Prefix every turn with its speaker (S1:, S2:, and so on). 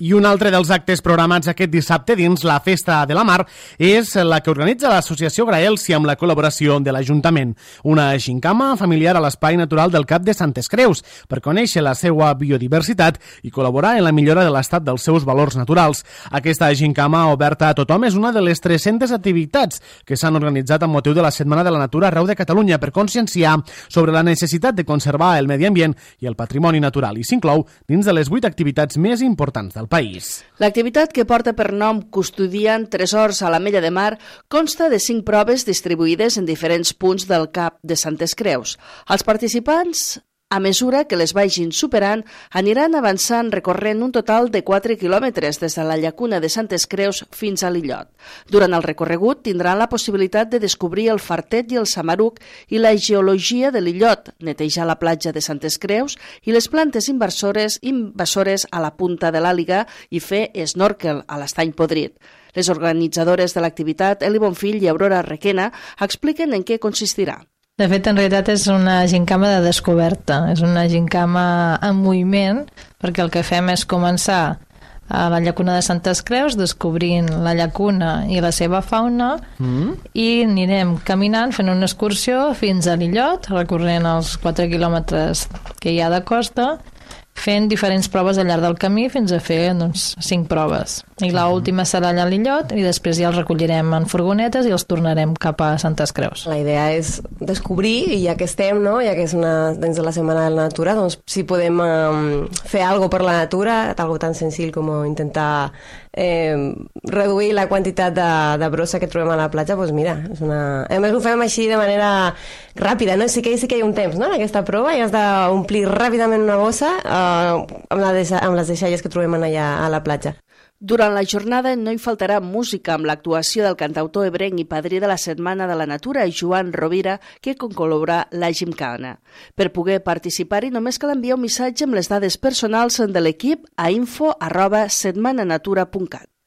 S1: I un altre dels actes programats aquest dissabte dins la Festa de la Mar és la que organitza l'Associació Graelsi amb la col·laboració de l'Ajuntament. Una gincama familiar a l'Espai Natural del Cap de Santes Creus per conèixer la seva biodiversitat i col·laborar en la millora de l'estat dels seus valors naturals. Aquesta gincama oberta a tothom és una de les 300 activitats que s'han organitzat amb motiu de la Setmana de la Natura arreu de Catalunya per conscienciar sobre la necessitat de conservar el medi ambient i el patrimoni natural i s'inclou dins de les 8 activitats més importants del país.
S2: L'activitat, que porta per nom Custodiant Tresors a l'Ametlla de Mar, consta de 5 proves distribuïdes en diferents punts del Cap de Santes Creus. Els participants, a mesura que les vagin superant, aniran avançant recorrent un total de 4 quilòmetres des de la llacuna de Santes Creus fins a l'illot. Durant el recorregut tindran la possibilitat de descobrir el fartet i el samaruc i la geologia de l'illot, netejar la platja de Santes Creus i les plantes invasores a la punta de l'Àliga i fer snorkel a l'Estany Podrit. Les organitzadores de l'activitat, Eli Bonfill i Aurora Requena, expliquen en què consistirà.
S3: De fet, en realitat és una gincama de descoberta, és una gincama en moviment, perquè el que fem és començar a la llacuna de Santes Creus, descobrint la llacuna i la seva fauna, i anirem caminant, fent una excursió fins a l'illot, recorrent els 4 quilòmetres que hi ha de costa, fent diferents proves al llarg del camí fins a fer 5 proves. I l'última serà allà a l'illot i després ja els recollirem en furgonetes i els tornarem cap a Santes Creus.
S4: La idea és descobrir, i ja que estem, no? Ja que és dins de la Setmana de la Natura, doncs si podem fer alguna cosa per la natura, algo tan senzill com intentar reduir la quantitat de brossa que trobem a la platja, doncs mira, a més ho fem així de manera ràpida, no? Sí que hi ha un temps, no? En aquesta prova i has d'omplir ràpidament una bossa amb les deixalles que trobem allà a la platja.
S2: Durant la jornada no hi faltarà música amb l'actuació del cantautor ebrenc i padrí de la Setmana de la Natura, Joan Rovira, que concol·laborarà la gimcana. Per poder participar-hi només cal enviar un missatge amb les dades personals de l'equip a info@setmananatura.cat.